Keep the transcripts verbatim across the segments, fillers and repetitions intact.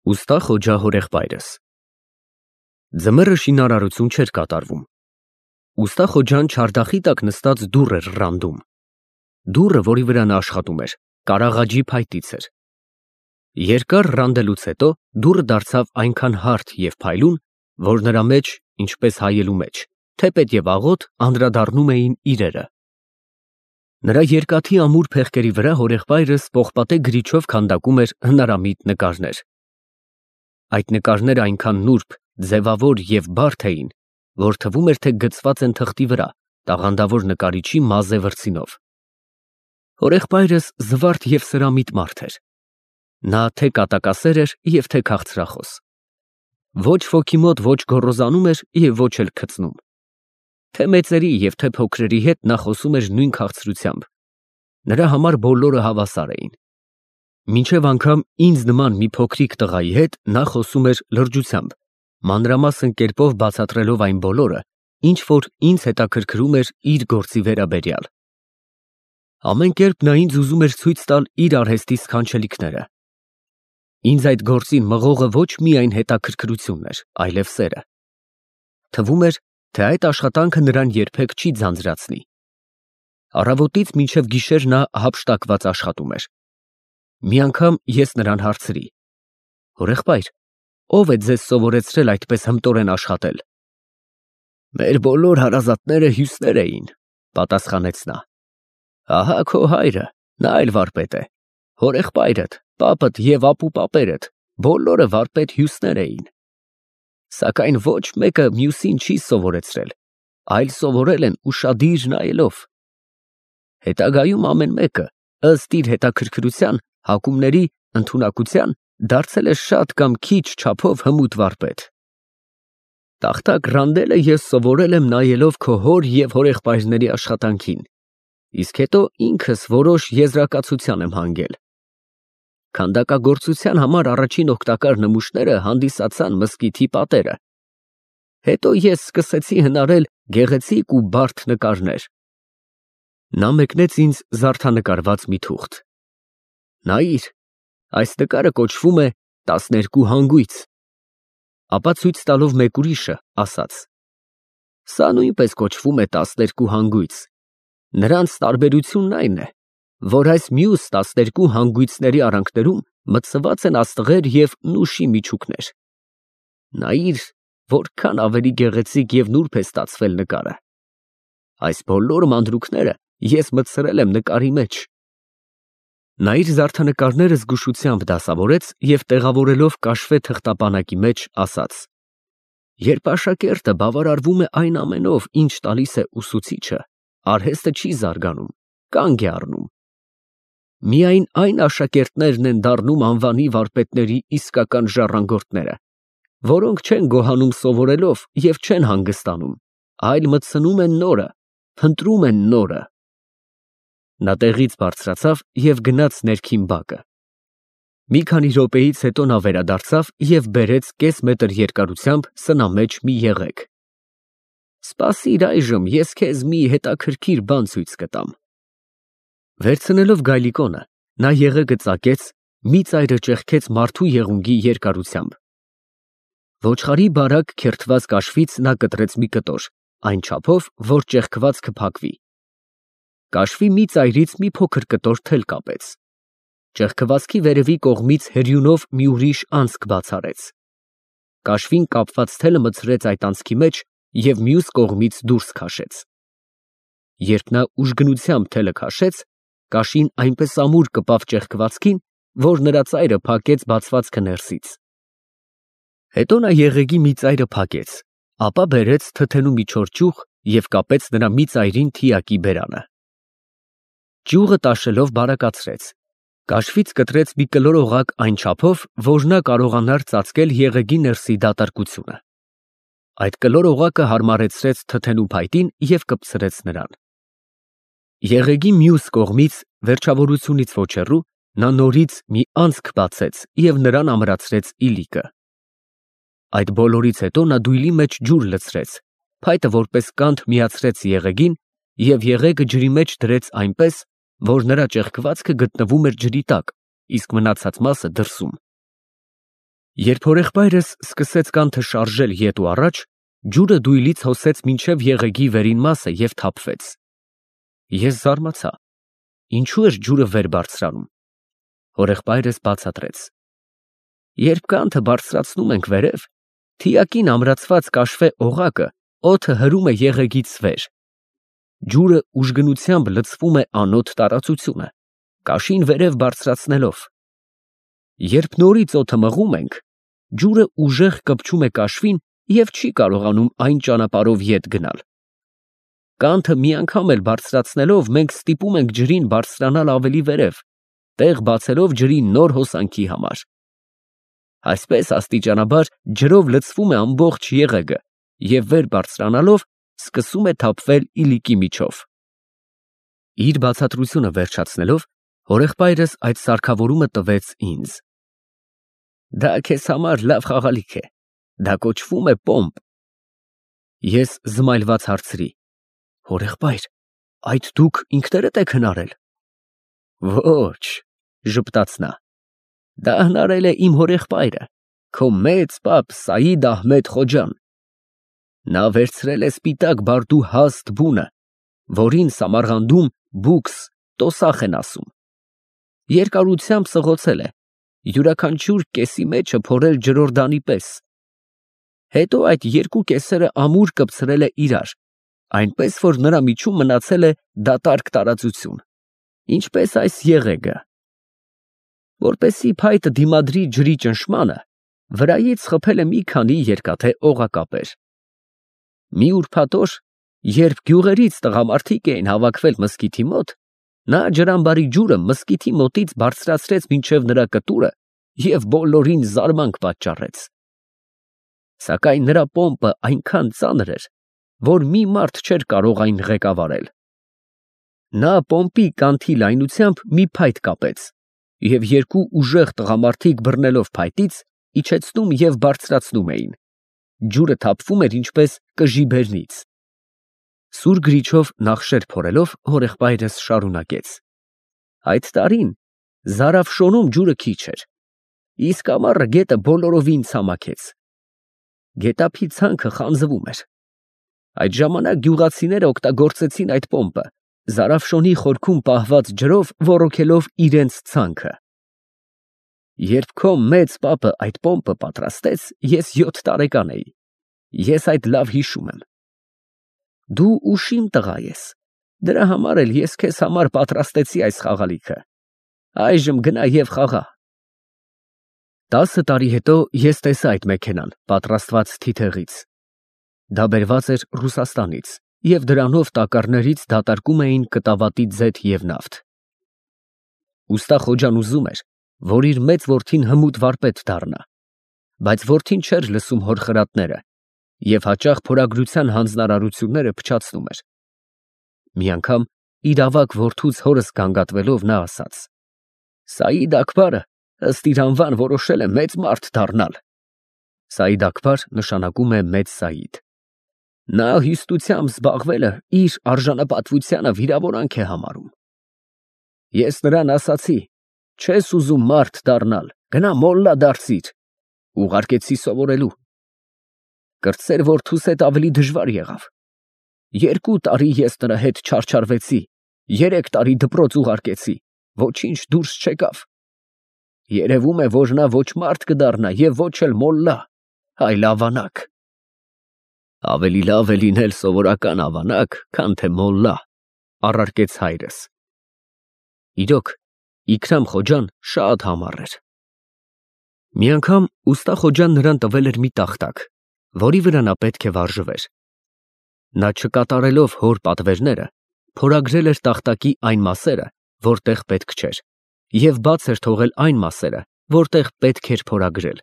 Ուստա Խոջա հորեղբայրս Ձմեռը շինարարություն չէր կատարվում։ Ուստա Խոջան չարդախի տակ նստած դուռ էր ռանդում։ Դուռը, որի վրա նա աշխատում էր, կարաղաջի փայտից էր։ Երկար ռանդելուց հետո դուռը դարձավ այնքան հարթ և փայլուն, որ նրա մեջ, ինչպես հայելու մեջ, թեպետ և աղոտ անդրադառնում էին իրերը։ Նրա երկաթի ամուր փեղկերի վրա հորեղբայրս պողպատե գրիչով քանդակում էր հնարամիտ նկարներ։ Այդ նկարները այնքան նուրբ, ձևավոր և բարդ էին, որ թվում էր, թե գծված են թղթի վրա, տաղանդավոր նկարիչի մազե վրձինով։ Հորեղբայրս զվարթ և սրամիտ մարդ էր։ Նա թե կատակասեր էր և թե քաղցրախոս։ Ոչ ոքի մոտ ոչ գոռոզանում էր և ոչ էլ քծնում։ Թե մեծերի և թե փոքրերի հետ նա խոսում էր նույն քաղցրությամբ։ Նրա համար բոլորը հավասար էին։ Մինչև անգամ ինձ նման մի փոքրիկ տղայի հետ նա խոսում էր լրջությամբ, մանրամասն կերպով բացատրելով այն բոլորը, ինչ որ ինձ հետաքրքրում էր իր գործի վերաբերյալ։ Ամեն կերպ նա ինձ ուզում էր ցույց տալ իր արհեստի սքանչելիքները։ Ինձ այդ գործին մղողը ոչ միայն հետաքրքրությունն էր, այլև սերը։ Թվում էր, թե այդ աշխատանքը նրան երբեք չի ձանձրացնի։ Առավոտից մինչև գիշեր նա հափշտակված աշխատում էր։ Մի անգամ ես նրան հարցրի. «Հորեղբայր, ո՞վ է ձեզ սովորեցրել այդպես հմտորեն աշխատել»։ «Մեր բոլոր հարազատները հյուսներ էին», պատասխանեց նա։ «Ահա քո հայրը, նա էլ վարպետ է, հորեղբայրդ, պապդ և ապուպապերդ բոլորը վարպետ հյուսներ էին։ Սակայն ոչ մեկը մյուսին չի սովորեցրել, այլ սովորել են ուշադիր նայելով։ Հետագայում ամեն մեկը, ըստ իր հետաքրքրության, հակումների, ընդունակության, դարձել է շատ կամ քիչ չափով հմուտ վարպետ։ Տախտակ ռանդելը ես սովորել եմ նայելով քո հոր և հորեղբայրների աշխատանքին, իսկ հետո ինքս որոշ եզրակացության եմ հանգել։ Քանդակագործության համար առաջին օգտակար նմուշները հանդիսացան մզկիթի պատերը։ Հետո ես սկսեցի հնարել գեղեցիկ ու բարդ նկարներ»։ Նա մեկնեց ինձ զարդանկարված մի թուղթ. «Նայիր, այս նկարը կոչվում է «Տասներկու հանգույց»»։ Ապա ցույց տալով մեկ ուրիշը, ասաց. «Սա նույնպես կոչվում է «Տասներկու հանգույց»։ Նրանց տարբերությունն այն է, որ այս մյուս տասներկու հանգույցների արանքներում մտցված են աստղեր և նուշի միջուկներ։ Նայիր, որքան ավելի գեղեցիկ և նուրբ է ստացվել նկարը։ Այս բոլոր մանրուքները ես մտցրել եմ նկարի մեջ»։ Նա իր զարդանկարները զգուշությամբ դասավորեց և տեղավորելով կաշվե թղթապանակի մեջ, ասաց. «Երբ աշակերտը բավարարվում է այն ամենով, ինչ տալիս է ուսուցիչը, արհեստը չի զարգանում, կանգ է առնում։ Միայն այն աշակերտներն են դառնում անվանի վարպետների իսկական ժառանգորդները, որոնք չեն գոհանում սովորելով և չեն հանգստանում, այլ մտցնում են նորը, փնտրում են նորը»։ Նա տեղից բարձրացավ և գնաց ներքին բակը։ Մի քանի րոպեից հետո նա վերադարձավ և բերեց կես մետր երկարությամբ սնամեջ մի եղեգ։ «Սպասիր, այժմ ես քեզ մի հետաքրքիր բան ցույց կտամ»։ Վերցնելով գայլիկոնը, նա եղեգը ծակեց, մի ծայրը ճեղքեց մարդու եղունգի երկարությամբ։ Ոչխարի բարակ քերթված կաշվից նա կտրեց մի կտոր, այն չափով, որ ճեղքվածքը փակվի։ Կաշվի մի ծայրից մի փոքր կտոր թել կապեց։ Ճեղքվածքի վերևի կողմից հերյունով մի ուրիշ անցք բաց արեց։ Կաշվին կապված թելը մտցրեց այդ անցքի մեջ և մյուս կողմից դուրս քաշեց։ Երբ նա ուժգնությամբ թելը քաշեց, կաշին այնպես ամուր կպավ ճեղքվածքին, որ նրա ծայրը փակեց բացվածքը ներսից։ Հետո նա եղեգի մի ծայրը փակեց, ապա բերեց թթենու մի չոր ճյուղ և կապեց նրա մի ծայրին թիակի բերանը։ Ճյուղը տաշելով բարակացրեց, կաշվից կտրեց մի կլոր օղակ այն չափով, որ նա կարողանար ծածկել եղեգի ներսի դատարկությունը։ Այդ կլոր օղակը հարմարեցրեց թթենու փայտին և կպցրեց նրան։ Եղեգի մյուս կողմից, վերջավորությունից ոչ հեռու, նա նորից մի անցք բացեց և նրան ամրացրեց իլիկը։ Այդ բոլորից հետո նա դույլի մեջ ջուր լցրեց, փայտը որպես կանթ միացրեց եղեգին և եղեգը ջրի մեջ դրեց այնպես, որ նրա ճեղքվածքը գտնվում էր ջրի տակ, իսկ մնացած մասը դրսում։ Երբ հորեղբայրս սկսեց կանթը շարժել ետ ու առաջ, ջուրը դույլից հոսեց մինչև եղեգի վերին մասը և թափվեց։ Ես զարմացա. ինչու էր ջուրը վեր բարձրանում։ Հորեղբայրս բացատրեց. երբ կանթը բարձրացնում ենք վերև, թիակին ամրացված կաշվե օղակը օդը հրում է եղեգից վեր։ Ջուրը ուժգնությամբ լցվում է անոտ տարածությունը, կաշին վերև բարձրացնելով։ Երբ նորից օդը մղում ենք, ջուրը ուժեղ կպչում է կաշվին և չի կարողանում այն ճանապարհով ետ գնալ։ Կանթը մի անգամ էլ բարձրացնելով մենք ստիպում ենք ջրին բարձրանալ ավելի վերև, տեղ բացելով ջրի նոր հոսանքի համար։ Այսպես աստիճանաբար ջրով լցվում է ամբողջ եղեգը և վեր բարձրանալով սկսում է թափվել իլիկի միջով։ Իր բացատրությունը վերջացնելով, հորեղբայրս այդ սարքավորումը տվեց ինձ։ Դա քեզ համար լավ խաղալիք է, դա կոչվում է պոմպ։ Ես զմայլված հարցրի. հորեղբայր, այդ դուք ինքներդ եք հնարել։ Ոչ, ժպտաց նա, դա հնարել է իմ հորեղբայրը, քո մեծ պապ Սայիդ Ահմեդ Խոջան։ Նա վերցրել է սպիտակ բարդու հաստ բունը, որին Սամարղանդում բուքս տոսախ են ասում։ Երկարությամբ սղոցել է, յուրաքանչյուր կեսի մեջը փորել ջրորդանի պես։ Հետո այդ երկու կեսերը ամուր կպցրել է իրար, այնպես որ նրա միջում մնացել է դատարկ տարածություն, ինչպես այս եղեգը։ Որպեսզի փայտը դիմադրի ջրի ճնշմանը, վրայից խփել է մի քանի երկաթե օղակապեր։ Մի ուրբաթ օր, երբ գյուղերից տղամարդիկ էին հավաքվել մզկիթի մոտ, նա ջրամբարի ջուրը մզկիթի մոտից բարձրացրեց մինչև նրա կտուրը և բոլորին զարմանք պատճառեց։ Սակայն նրա պոմպը այնքան ծանր էր, որ մի մարդ չէր կարող այն ղեկավարել։ Նա պոմպի կանթի լայնությամբ մի փայտ կապեց և երկու ուժեղ տղամարդիկ բռնելով փայտից իջեցնում և բարձրացնում էին։ Ջուրը թափվում էր ինչպես կժի բերնից։ Սուր գրիչով նախշեր փորելով հորեղբայրս շարունակեց. այդ տարին Զարաֆշոնում ջուրը քիչ էր, իսկ ամառը գետը բոլորովին ցամաքեց։ Գետափի ցանքը խանձվում էր։ Այդ ժամանակ գյուղացիները օգտագործեցին այդ պոմպը, Զարաֆշոնի խորքում պահված ջրով ոռոգելով իրենց ցանքը։ Երբ քո մեծ պապը այդ պոմպը պատրաստեց, ես յոթ տարեկան էի։ Ես այդ լավ հիշում եմ։ Դու ուշիմ տղա ես, դրա համար էլ ես քեզ համար պատրաստեցի այս խաղալիքը։ Այժմ գնա և խաղա։ Տասը տարի հետո ես տեսա այդ մեքենան, պատրաստված թիթեղից։ Դա բերված էր Ռուսաստանից, և դրանով տակառներից դատարկում էին կտավատի ձեթ և նավթ։ Ուստա Խոջան ուզում էր, որ իր մեծ որդին հմուտ վարպետ դառնա, բայց որդին չէր լսում հոր խրատները և հաճախ փորագրության հանձնարարությունները փչացնում էր։ Մի անգամ իր ավագ որդուց հորս գանգատվելով նա ասաց. Սայիդ Աքբարը ըստ իր անվան որոշել է մեծ մարդ դառնալ։ Սայիդ Աքբար նշանակում է մեծ Սայիդ։ Նա հյուստությամբ զբաղվելը իր արժանապատվությանը վիրավորանք է համարում։ Ես նրան ասացի. չես ուզում մարդ դառնալ, գնա մոլլա դարձիր, ուղարկեցի սովորելու։ Կրտսեր որդուս հետ ավելի դժվար եղավ։ Երկու տարի ես նրա հետ չարչարվեցի, երեք տարի դպրոց ուղարկեցի, ոչինչ դուրս չեկավ։ Երևում է, որ նա ոչ մարդ կդառնա և ոչ էլ մոլլա, այլ ավանակ։ Ավելի լավ է լինել սովորական ավանակ, քան թե մոլլա, առարկեց հայրս։ Իրոք, Իքրամ Խոջան շատ համառ էր։ Մի անգամ ուստա Խոջան նրան տվել էր մի տախտակ, որի վրա նա պետք է վարժվեր։ Նա չկատարելով հոր պատվերները, փորագրել էր տախտակի այն մասերը, որտեղ պետք չէր, և բաց էր թողել այն մասերը, որտեղ պետք էր փորագրել։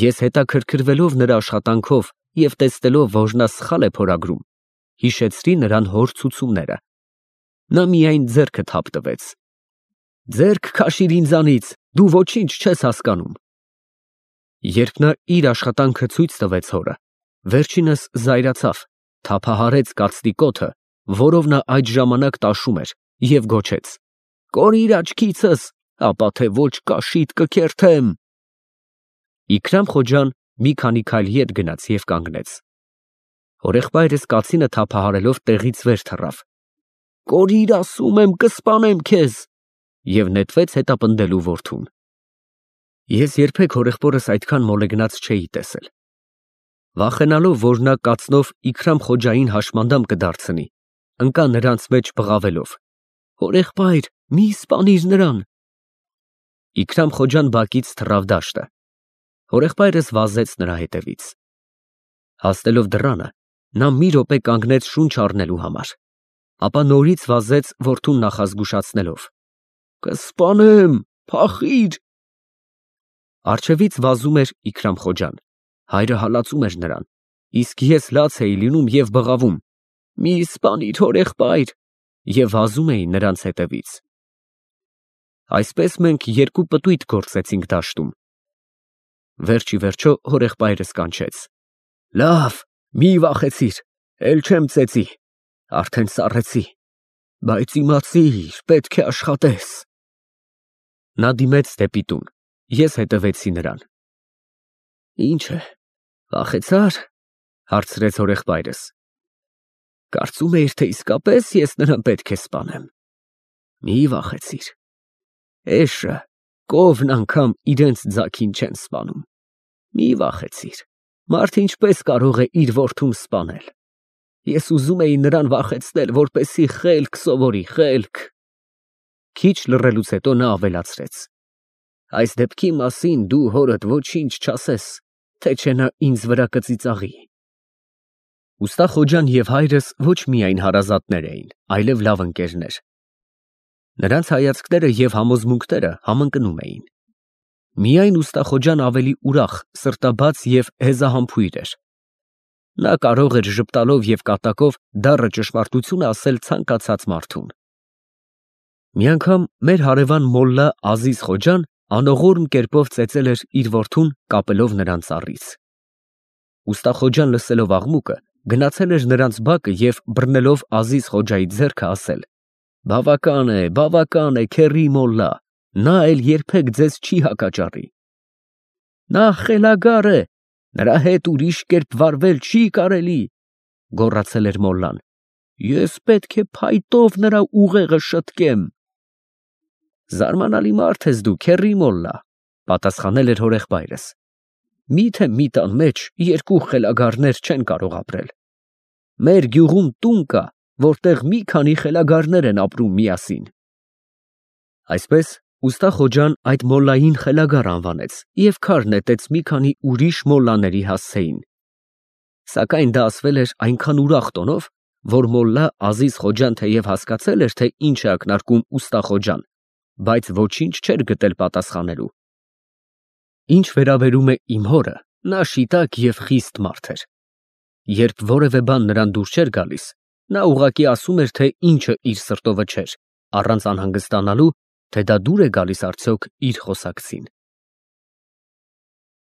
Ես հետաքրքրվելով նրա աշխատանքով և տեսնելով, որ նա սխալ է փորագրում, հիշեցրի նրան հոր ցուցումները։ Նա միայն ձեռքը թափ տվեց. ձեռք քաշիր ինձանից, դու ոչինչ չես հասկանում։ Երբ նա իր աշխատանքը ցույց տվեց հորը, վերջինս զայրացավ, թափահարեց կացտիկոթը, որով նա այդ ժամանակ տաշում էր, և գոչեց. կորիր աչքիցս, ապա թե ոչ կաշիդ կքերթեմ։ Իքրամ Խոջան մի քանի քայլ ետ գնաց և կանգնեց։ Հորեղբայրս կացինը թափահարելով տեղից վեր թռավ։ «Կորիր, ասում եմ, կսպանեմ քեզ» և նետվեց հետապնդելու որդուն։ Ես երբեք հորեղբորս այդքան մոլեգնած չէի տեսել։ Վախենալով, որ նա կացնով Իքրամ Խոջային հաշմանդամ կդարձնի, ընկա նրանց մեջ բղավելով. «Հորեղբայր, մի սպանիր նրան»։ Իքրամ Խոջան բակից թռավ դաշտը։ Հորեղբայրս վազեց նրա հետևից։ Հասնելով դռանը, նա մի րոպե կանգնեց շունչ առնելու համար, ապա նորից վազեց որդուն նախազգուշացնելով. «Կսպանեմ, փախիր»։ Առջևից վազում էր Իքրամ Խոջան, հայրը հալածում էր նրան, իսկ ես լաց էի լինում և բղավում. «Մի սպանիր, հորեղբայր» և վազում էի նրանց հետևից։ Այսպես մենք երկու պտույտ գործեցինք դաշտում։ Վերջիվերջո հորեղբայրս կանչեց. «Լավ, մի վախեցիր, էլ չեմ ծեծի, արդեն սառեցի, բայց իմացիր, պետք է աշխատես»։ Նա դիմեց դեպի տուն, ես հետևեցի նրան։ «Ինչ է, վախեցա՞ր» հարցրեց հորեղբայրս։ «Կարծում էիր, թե իսկապես ես նրան պետք է սպանեմ։ Մի վախեցիր, էշը, կովն անգամ իրենց ձագին չեն սպանում։ Մի վախեցիր, մարդ ինչպես կարող է իր որդուն սպանել։ Ես ուզում էի նրան վախեցնել, որպեսզի խելք սովորի, խելք»։ Քիչ լռելուց հետո նա ավելացրեց. «Այս դեպքի մասին դու հորդ ոչինչ չասես, թե չէ նա ինձ վրա կծիծաղի»։ Ուստա Խոջան և հայրս ոչ միայն հարազատներ էին, այլև լավ ընկերներ։ Նրանց հայացքները և համոզմունքները համընկնում էին։ Միայն ուստա Խոջան ավելի ուրախ, սրտաբաց և հեզահամբույր էր։ Նա կարող էր ժպտալով և կատակով դառը ճշմարտությունը ասել ցանկացած մարդուն։ Մի անգամ մեր հարևան մոլլա Ազիզ Խոջան անողորմ կերպով ծեծել էր իր որդուն, կապելով նրան ծառից։ Ուստա Խոջան լսելով աղմուկը, գնացել էր նրանց բակը և բռնելով Ազիզ Խոջայի ձեռքը ասել. «Բավական է, բավական է, քեռի մոլլա, նա էլ երբեք ձեզ չի հակաճառի»։ «Նա խելագար է, նրա հետ ուրիշ կերպ վարվել չի կարելի», գոռացել էր մոլլան։ «Ես պետք է փայտով նրա ուղեղը շտկեմ»։ «Զարմանալի մարդ ես դու, քեռի մոլլա», պատասխանել էր հորեղբայրս։ «Մի՞թե մի տան մեջ երկու խելագարներ չեն կարող ապրել։ Մեր գյուղում տուն կա, որտեղ մի քանի խելագարներ են ապրում միասին»։ Այսպես ուստա Խոջան այդ մոլլային խելագար անվանեց և քար նետեց մի քանի ուրիշ մոլլաների հասցեին։ Սակայն դա ասվել էր այնքան ուրախ տոնով, որ մոլլա Ազիզ Խոջան թեև հասկացել էր, թե ինչ է ակնարկում ուստա Խոջան, բայց ոչինչ չէր գտել պատասխանելու։ Ինչ վերաբերում է իմ հորը, նա շիտակ և խիստ մարդ էր։ Երբ որևէ բան նրան դուր չէր գալիս, նա ուղղակի ասում էր, թե ինչը իր սրտովը չէր, առանց անհանգստանալու, թե դա դուր է գալիս արդյոք իր խոսակցին։